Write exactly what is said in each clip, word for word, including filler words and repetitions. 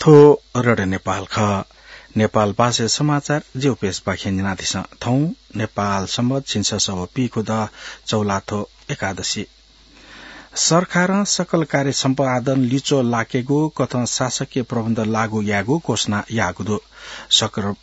थ्व रेडियो नेपाल खः। नेपाल भाषाया समाचार ज्यू पेशपाखें न्यनादिसँ। थौं नेपाल संवत् झिंछसः व पीखुदँ चौलाथ्व एकादशी। सरकारं सकल कार्य सम्पादन लिच्वः लाकेगु कथं शासकीय प्रबन्ध लागू यायेगु घोषणा याःगु दु। सकर-,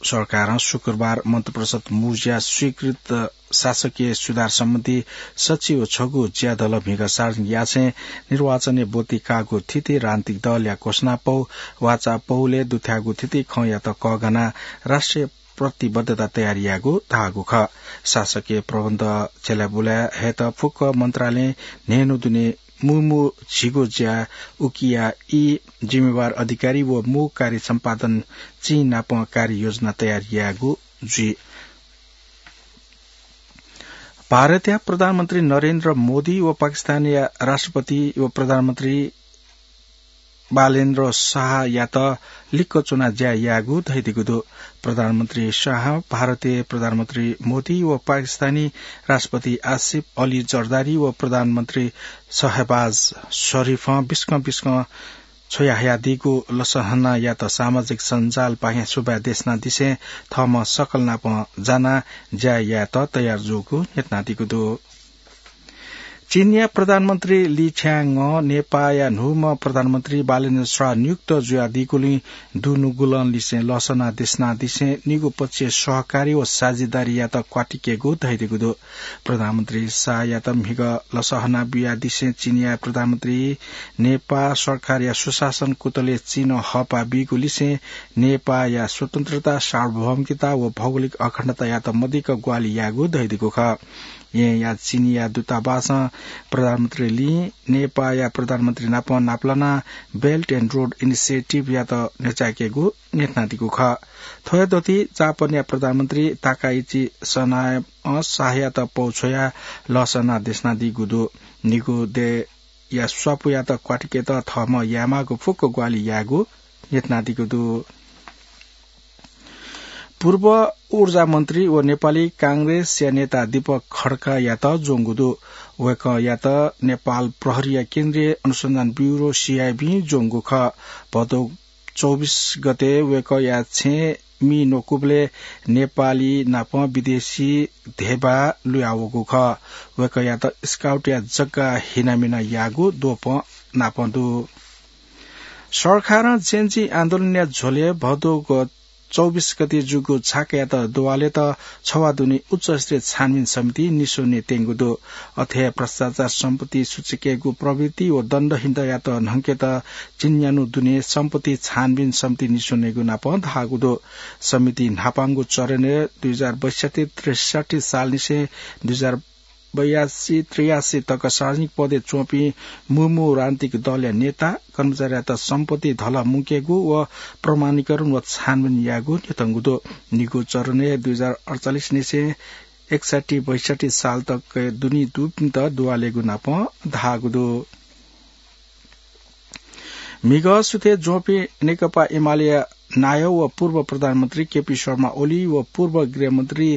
सरकारं शुक्रबार मन्त्रिपरिषद मुज्या स्वीकृत शासकीय सुधार सम्बन्धी सच्छि व छगू ज्यादल म्हिगः सार्वजनिक यासें निर्वाचनय् ब्वति काःगु थिति राजनीतिक दलया घोषणापौ वाचापौलय् दुथ्याःगु थिति खँयात कःघानाः राष्ट्रिय प्रतिबद्धता तयार यायेगु धाःगु खः। शासकीय प्रबन्ध झ्यलाबुलाय् हयेत फुक्क मन्त्रालयं न्हय्न्हु दुने मू मू झिगू ज्या उकिया ई जिम्मेवार अधिकारी व मू कार्य सम्पादन चिं नाप कार्य योजना तयार यायेगु जुइ। भारतया प्रधानमन्त्री नरेन्द्र मोदी व पाकिस्तानया राष्ट्रपति व प्रधानमन्त्री बालेन्द्र शाहयात लिक्क च्वनाः ज्या यायेगु धयादीगु दु। प्रधानमन्त्री शाह भारतीय प्रधानमन्त्री मोदी व पाकिस्तानी राष्ट्रपति आसिफ अली जरदारी व प्रधानमन्त्री शहबाज शरीफं बिस्कं बिस्कं छ्वयाहयादीगु लसहनायात सामाजिक सञ्जालपाखें सुभाय् देछानादिसें थःम्हं सकल नाप जानाः ज्या यायेत तयार जूगु न्ह्यथनादीगु दु। चीनया प्रधानमन्त्री ली छ्याङं नेपाःया न्हूम्ह प्रधानमन्त्री बालेन्द्र शाह नियुक्त जुयादीगुलिं दुनुगलंनिसें लसना देछानादिसें निगू पक्षीय सहकारी व साझेदारीयात क्वातिकेगु धयादीगु दु। प्रधानमन्त्री शाहयात म्हिगः लसहना बियादिसें चीनया प्रधानमन्त्री नेपाः सरकारया सुशासन कुतलय् चिनं हःपाः बीगु लिसें नेपाःया स्वतन्त्रता, सार्वभौमिकता व भौगोलिक अखण्डतायात मदिक्क ग्वाहालि याःगु धयादीगु खः। येँया चीनया दूतावासं प्रधानमन्त्री लीं नेपाःया प्रधानमन्त्री नाप नापलानाः Belt and Road Initiative यात न्ह्यचाय्केगु न्ह्यथनादीगु खः। थ्वया दथुइ जापानया प्रधानमन्त्री ताकाइची सनायां शाहयात पौ छ्वयाः लसना देछानादीगु दु। निगू देय् या स्वापुयात क्वातिकेत थःम्हं यायेमाःगु फुक्क ग्वाहालि यायेगु न्ह्यथनादीगु दु। पूर्व ऊर्जा मन्त्री व नेपाली कांग्रेसया नेता दीपक खड्कायात ज्वंगु दु। वय्कःयात नेपाल प्रहरीया केन्द्रीय अनुसन्धान ब्यूरो, CIB, ज्वंगु खः। भदौ चौबिस गते वय्कःया छेँय् मि न्वकूबलय् नेपाली नाप विदेशी धेबा लुयावःगु खः। वय्कःयात स्काउटया जग्गा हिनामिना याःगु द्वपं नाप दु। सरकारं Gen Z आन्दोलनया झ्वलय् भदौ चौबिस गते जूगु छाकायात दुवालेत छवाः दुने उच्चस्तरीय छानबिन समिति निस्वने त्यंगु दु। अथे हे भ्रष्टाचार, सम्पत्ति सुचुकेगु प्रवृत्ति व दण्डहीनतायात न्हंकेत झिंन्यान्हु दुने सम्पत्ति छानबिन समिति निस्वनेगु नाप धाःगु दु। समितिं न्हापांगु चरणय् दुई हजार बैसठ्ठी त्रिसठ्ठी सालनिसें दुई हजार बयासी त्रियासी तक सार्वजनिक पदय् च्वंपिं मू मू राजनीतिक दलया नेता, कर्मचारीयात सम्पत्ति धलः मुंकेगु व प्रमाणीकरण व छानबिन यायेगु न्ह्यथंगु दु। निगू चरणय् दुई हजार अडचालिस निसें एकसट्ठी बैसट्ठी साल तक दुने दुपिन्त दुवालेगु नाप धाःगु दु। म्हिगः सुथय् ज्वंपिं नेकपा एमालेया नायः व पूर्व प्रधानमन्त्री केपी शर्मा ओली व पूर्व गृहमन्त्री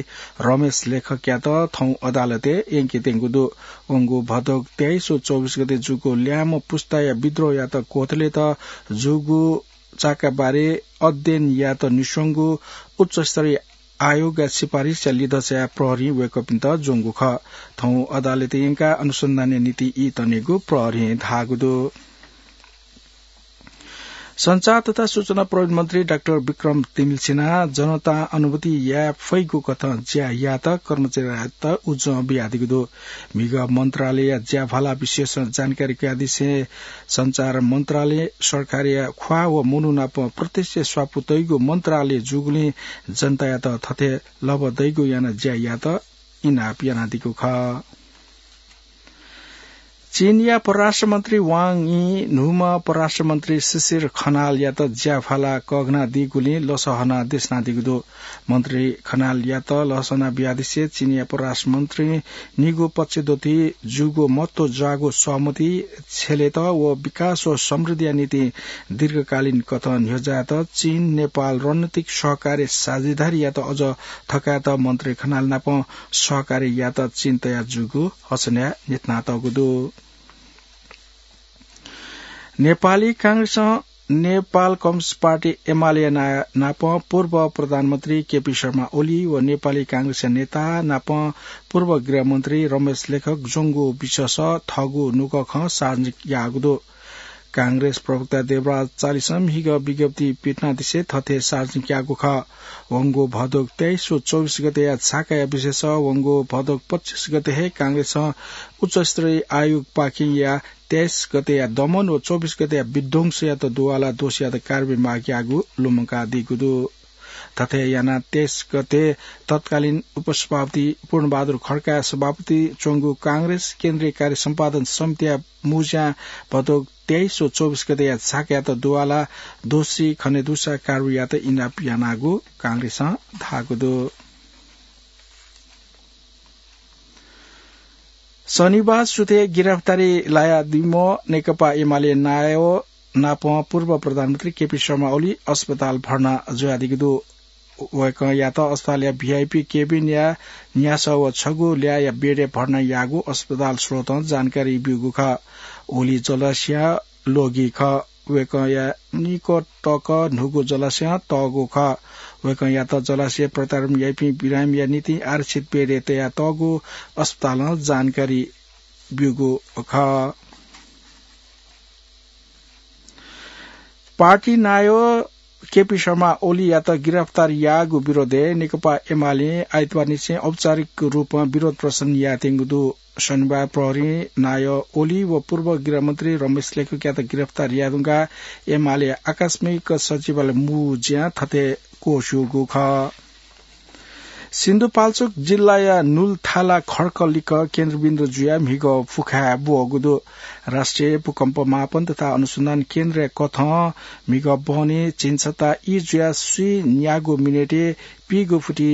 रमेश लेखकयात थौं अदालतय् यंकेत्यंगु दु। वंगु भदौ तेइस व चौबिस गते जूगु ल्याय्म्ह पुस्ताया विद्रोहयात क्वथलेत जूगु चाकाबारे अध्ययन यायेत निस्वंगु उच्चस्तरीय आयोगया सिफारिसया लिधंसाय् प्रहरीं वय्कःपिन्त ज्वंगु खः। थौं अदालतय् यंकाः अनुसन्धानया निंतिं ई तनेगु प्रहरीं धाःगु दु। सञ्चार तथा सूचना प्रविधि मन्त्री डाक्टर विक्रम तिमिल्सिनां जनतां अनुभूति याये फइगु कथं ज्या यायेत कर्मचारीयात उजं बियादीगु दु। म्हिगः मन्त्रालयया ज्याभाला विषयसं जानकारी कयादिसें सञ्चार मन्त्रालय सरकारया ख्वाः व मनू नाप प्रत्यक्ष स्वापू तइगु मन्त्रालय जूगुलिं जनतायात थथे लबः दइगु यानाः ज्या यायेत इनाप यानादीगु खः। चीनया परराष्ट्र मन्त्री वाङ यीं न्हूम्ह परराष्ट्र मन्त्री शिशिर खनालयात ज्याभाला कःघानादीगुलिं लसहना देछानादीगु दु। मन्त्री खनालयात लसहना बियादिसे चीनया परराष्ट्र मन्त्रीं निगू पक्ष दथुइ जूगु महत्व जाःगु सहमति छ्यलेत व विकास व समृद्धिया निंतिं दीर्घकालीन कथं न्ह्यज्यायेत चीन नेपाल रणनीतिक सहकार्य साझेदारीयात अझ थकायेत मन्त्री खनाल नाप सहकार्य यायेत चिन्ता जूगु हसनया न्ह्यथनातःगु दु। नेपाली कांग्रेसं नेपाल कम्युनिस्ट पार्टी एमाले नाप पूर्व प्रधानमन्त्री केपी शर्मा ओली व नेपाली कांग्रेसया नेता नाप पूर्व गृहमन्त्री रमेश लेखक ज्वंगु विषयस थःगु नुगः खँ सार्वजनिक याःगु दु। कांग्रेस प्रवक्ता देवराज चालिसं म्हिगः विज्ञप्ति पिथनादिसे थथे सार्वजनिक याःगु खः। वंगु भदोक तेइस व चौबिस गतेया छाकाया विषयस वंगु भदोक पच्चिस गते हे कांग्रेसं उच्चस्तरीय आयोगपाखें या तेइस गतेया दमन व चौबिस गतेया विध्वंसयात दुवाला दोषीयात कारवाही माग याःगु लुमंकादीगु दु। थथे यानाः तेइस गते तत्कालीन उपसभापति पूर्णबहादुर खड्काया सभापति च्वंगु कांग्रेस केन्द्रीय कार्य सम्पादन समितिया मुज्यां भदोक तेइस व चौबिस गतेया छाकायात दुवाला दोषी खनेदुसा कारवाहीयात इनाप यानागु कांग्रेसं धाःगु दु। शनिबार सुथे गिरफ्तारी लायादीम्ह नेकपा एमाले नायः नाप पूर्व प्रधानमन्त्री केपी शर्मा ओली अस्पताल भर्ना जुयादीगु दु। वय्कःयात अस्पतालया भिआइपी केबिनया न्यासः व छगू ल्याःया बेडय् भर्ना याःगु अस्पताल स्रोतं जानकारी ब्यूगु खः। ओली जलाशयं ल्वःगी खः। वय्कःया निकटक न्हूगु जलाशयं तःगु खः। वय्कःयात जलाशय प्रत्यारोपण याइपिं बिरामीया निंतिं आरक्षित बेडय् तयातःगु अस्पतालं जानकारी ब्यूगु खः। पार्टी नायः केपी शर्मा ओलीयात गिरफ्तार याःगु विरोधय् नेकपा एमालें आइतबारनिसें औपचारिक रूपं विरोध प्रदर्शन यायेत्यंगु दु। शनिबार प्रहरीं नायः ओली व पूर्व गृहमन्त्री रमेश लेखकयात गिरफ्तार यायेधुंकाः एमाले आकस्मिक सचिवालय मुज्यां थथे क्वस्यूगु खः। सिन्धुपाल्चोक जिल्लाया नुल्थाला खड्क लिक्क केन्द्रबिन्दु जुयाः म्हिगः फुखाय् ब्वःगु दु। राष्ट्रिय भूकम्प मापन तथा अनुसन्धान केन्द्रया कथं म्हिगः बहनी झिंछता ई जुयाः स्वीन्यागू मिनेटय् पीगू फुति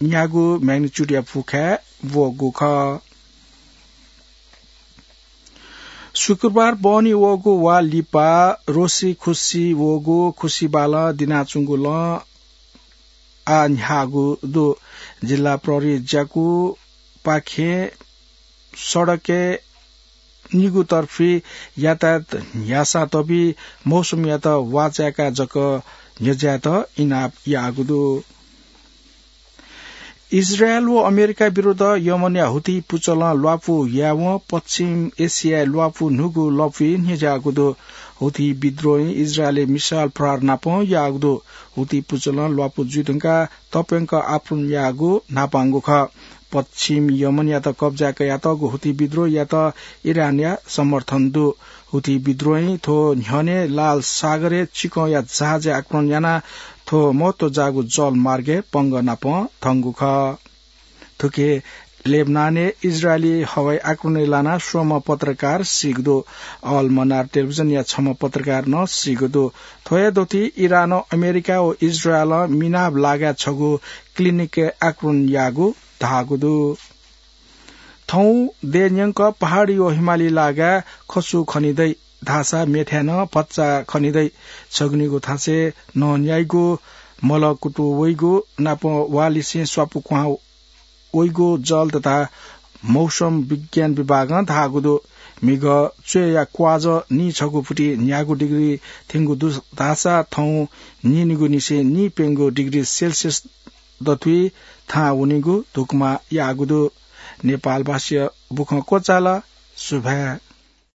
न्यागू magnitude-या फुखाय् ब्वःगु खः। शुक्रबार बहनी वःगु वा लिपा रोसी खुसी वःगु खुसी बालं दिनाच्वंगु लँ आः न्ह्याःगु दु। जिल्ला प्रहरी ज्याकूपाखें सडकय् निगू तर्फी यातायात न्ह्यासा तबी मौसमयात वाचाय्काः जक न्ह्यज्यायेत इनाप याःगु दु। इजरायल व अमेरिका विरुद्ध यमनया हुथी पुचलं ल्वापु यायेवं पश्चिम एसियाय् ल्वापु न्हूगु लँपुइ न्ह्यज्याःगु दु। हुथी विद्रोहीं इजरायलय् मिसाइल प्रहार नापं याःगु दु। हुथी पुचलं ल्वापु जुइधुंकाः तप्यंक आक्रमण याःगु न्हापांगु खः। पश्चिम यमनयात कब्जाय् कयातःगु हुथी विद्रोहीयात इरानया समर्थन दु। हुथी विद्रोहीं थ्व न्ह्यःने लाल सागरय् चिकंया जहाजय् आक्रमण यानाः थ्व महत्व जाःगु जलमार्गय् पंगः नापं थंगु खः। थुकी लेबनानय् इजरायली हवाई आक्रमणय् लानाः स्वम्ह पत्रकार सीगु दु। अल मनार टेलिभिजनया छम्ह पत्रकार नं सीगु दु। थ्व हे दथुइ इरानं अमेरिका व इजरायलं मिनाब लागाय् छगू clinic-य् आक्रमण याःगु धाःगु दु। थौं देय् न्यंक पहाडी व हिमाली लागाय् खसु खने दइ धाःसा मेथाय् नं भचा खने दइ। छगू निगू थासय् नं न्याइगु, मल कुतु वइगु, नापं वालिसें स्वापु क्वहां वइगु जल तथा मौसम विज्ञान विभागं धाःगु दु। म्हिगः च्वय्या क्वाजः नीछगू फुति न्यागू डिग्री थ्यंगु दु धाःसा थौं नीनिगूनिसें नीप्यंगू डिग्री सेल्सियस दथुइ थाहां वनीगु धुकुमा याःगु दु। नेपालभाषाया बुखँ क्वचाल। सुभाय्।